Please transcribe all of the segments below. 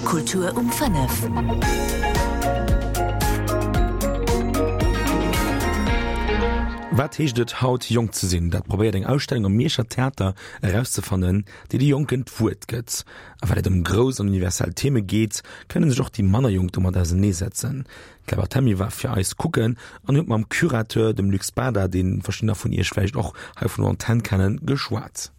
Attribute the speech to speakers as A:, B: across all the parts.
A: Kultur um 5.
B: Wat heescht et haut jonk ze sinn? Dat probéiert eng Ausstellung am Mierscher Theater erauszefannen, déi de Jonken d'Wuert gëtt. A well et ëm grouss an universell Theme geet, kënne sech och déi manner Jonk domat auserneesetzen. D'Claire Barthelmy war fir eis kucken an huet mam Curateur, dem Luc Spada, dee verschiddener vun iech vläicht och hei vun der Antenn kennen, geschwat.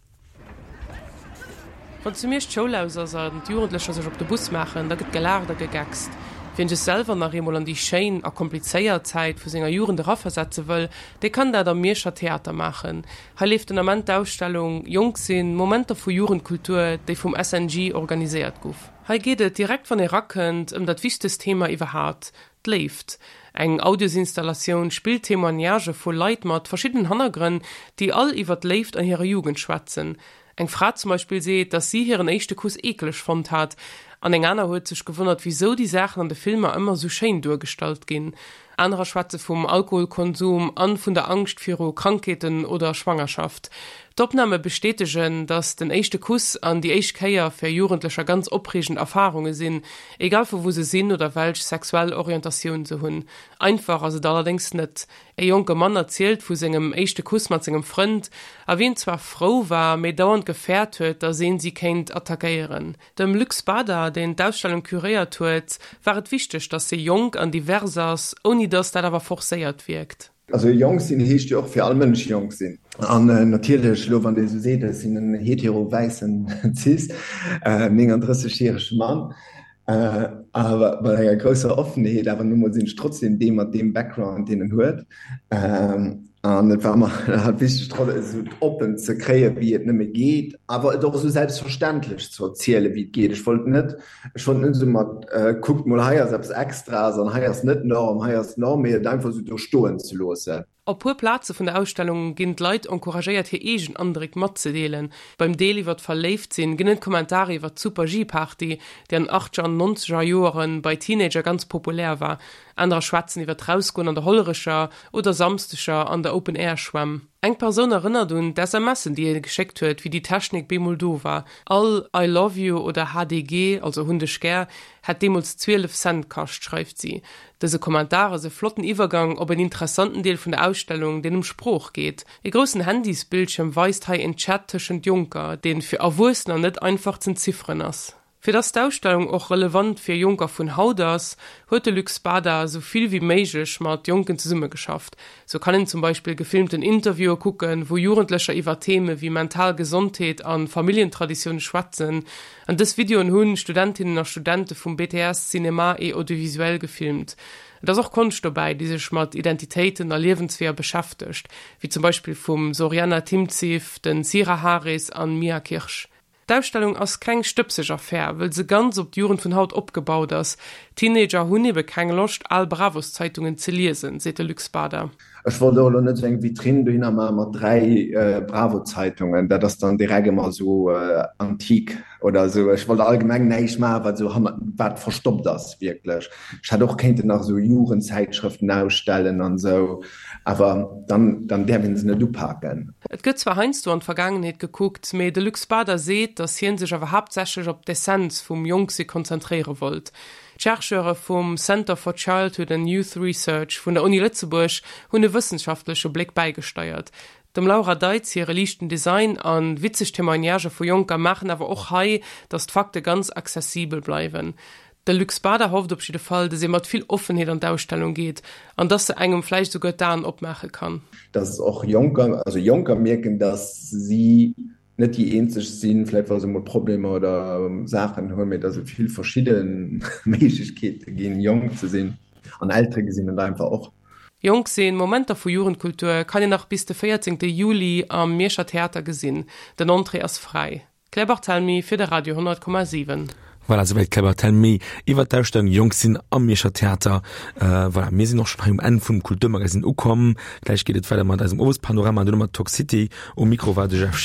C: Wann zu Miersch d'Schoul aus ass an d'Jugendlecher sech op de Bus maachen, da gëtt gelaacht a gegeckst. Wien sech selwer nach eemol an déi schéin a komplizéiert Zäit vu senger Jugend eraversetze wëll, dee kann dat am Mierscher Theater maachen. Hei leeft den Ament d'Ausstellung Jonk sinn, Momenter vu Jugendkultur, déi vum SNJ organiséiert guff. Hei geet et, direkt wann ee rakënnt, ëm dat wichtegst Thema iwwerhaapt, D'Léift. Eng Audiosinstallatioun spillt Témoignagë vu Leit mat verschiddenen Hannergrënn, déi all iwwer d'Léift an hirer Jugend schwätzen. Eng Fra zum Beispill seet, datt si hiren éischte Kuss eekeleg fonnt hat, an eng aner huet sech gewonnert, wisou déi Saachen an de Filmer ëmmer esou schéin duergestallt ginn. Anerer schwätze vum Alkoholkonsum an vun der Angscht viru Krankheeten oder Schwangerschaft. D'Opname bestätegen, datt den éischte Kuss an déi éischt Kéier fir Jugendlecher ganz opreegend Erfarunge sinn, egal vu wou se sinn oder welch sexuell Orientatioun se hunn. Einfach ass et allerdéngs net. E jonke Mann erzielt vu sengem éischte Kuss mat sengem Frënd a wien zwar frou war, mee dauernd gefäert huet, datt een si kéint attackéieren. Dem Luc Spada, deen d'Ausstellung curéiert huet, war et wichteg, datt se jonk an divers ass, ouni datt dat awer forcéiert wierkt.
D: Also jonk sinn heescht jo och fir all Mënsch jonk sinn. An natierlech elo wann Dir esou seet, ech sinn en hetero wäissen cis 39 järege Mann, awer mat enger grousser Offenheet, awer nu mol sinn ech trotzdem dee mat deem Background deen en huet. An et war mer halt wichteg esou oppen ze kréien, wéi et nëmme geet, awer et och esou selbstverständlech ze erzielen, wéi et geet. Ech wollt net, ech wollt net esou mat kuckt mol hei ass eppes Extraes an hei ass net Norm, hei ass Norm, mee et einfach esou do stoen ze loossen.
C: Op puer Plaze vun der Ausstellung ginn d'Leit encouragéiert hir eegen Andréck matzedeelen. Beim Deel iwwer d'Verléiftsinn ginn et Kommentare iwwer d'Super-G-Party, déi an den Achtger an Nonzeger Joere bei Teenager ganz populär war. Anerer schwätzen iwwer d'Rausgoen an der Hollerecher oder Samsdeger an der Open-Air-Schwämm. Eng Persoun erënnert un d'SMSen, déi hie geschéckt huet, wéi déi Technik bemol do war. All I love you oder HDG, also hunn dech gär, hätt deemools 12 Cent kascht, schreift si. Dëse Kommentar ass e flotten Iwwergang op en interessanten Deel vun der Ausstellung, deen ëm Sprooch geet. E groussen Handysbildschierm weist hei en Chat tëschent Jonker, deen fir Erwuessener net einfach z'entzifferen ass. Fir dass d'Ausstellung och relevant fir Jonker vun haut ass, huet de Luc Spada esou vill wéi méiglech mat Jonken zesummegeschafft. Sou kann een zum Beispill gefilmten Interviewe kucken, wou Jugendlecher iwwer Theme wéi mental Gesondheet a Familljentraditioune schwätzen. An dës Videoen hunn Studentinnen a Studente vum BTS Cinéma et Audiovisuel gefilmt. Et ass och Konscht dobäi, déi sech mat Identitéiten a Liewensweeër beschäftegt, wéi zum Beispill vum Zoriana Timciw, den Sira Haris an Mia Kirsch. D'Ausstellung ass keng stëbseg Affär, wëll se ganz op d'Jugend vun haut opgebaut ass. Teenager hunn ebe keng Loscht, al Bravos-Zeitungen ze liesen, seet de Luc Spada.
D: Ech wollt och elo net esou eng Vitrinn dohinner maache mat 3 Bravo-Zeitungen, dat ass dann direkt ëmmer esou antik oder esou. Ech wollt allgemeng näischt maachen, wat esou hannert, wat verstoppt ass wierklech. Ech hätt och kéinten nach esou Jugendzäitschrëften ausstellen an esou. Awer dann, dann däerf een se net upaken.
C: Et gëtt zwar heiansdo an d'Vergaangenheet gekuckt, mee de Luc Spada seet, datt hien sech awer haaptsächlech op d'Essenz vum Jonksi konzentréiere wollt. D'Chercheure vum Center for Childhood and Youth Research vun der Uni Lëtzebuerg hunn e wëssenschaftleche Bléck bäigesteiert. Dem Laura Deitz hire liichten Design a witzeg Témoignagë vu Jonker maachen awer och hei, datt d'Fakte ganz accessibel bleiwen. De Luc Spada hofft op jidde Fall, datt ee mat vill Offenheet an d'Ausstellung geet an datt se engem vläicht esouguer d'Aen opmaache kann.
D: Datt och Jonker, also Jonker mierken, datt si net déi eenzeg sinn, vläicht wa se emol Problemer oder Saachen hunn, mee datt et vill verschidde Méiglechkeete ginn, jonk ze sinn. An Eltere gesinn et einfach och.
C: Jonk sinn, Momenter vu Jugendkultur kann een nach bis de 14 Juli am Mierscher Theater gesinn. Den Entrée ass fräi. Claire Barthelmy fir de Radio 100,7.
B: Voilà, souwäit d'Claire Barthelmy iwwer d'Ausstellung Jonk sinn am Mierscher Theater. Voilà, mir sinn och schonn hei um Enn vum Kulturmagasinn ukomm. Gläich geet et weider mat eisem Owespanorama an duerno mat Talk City. Um Mikro war de Jeff.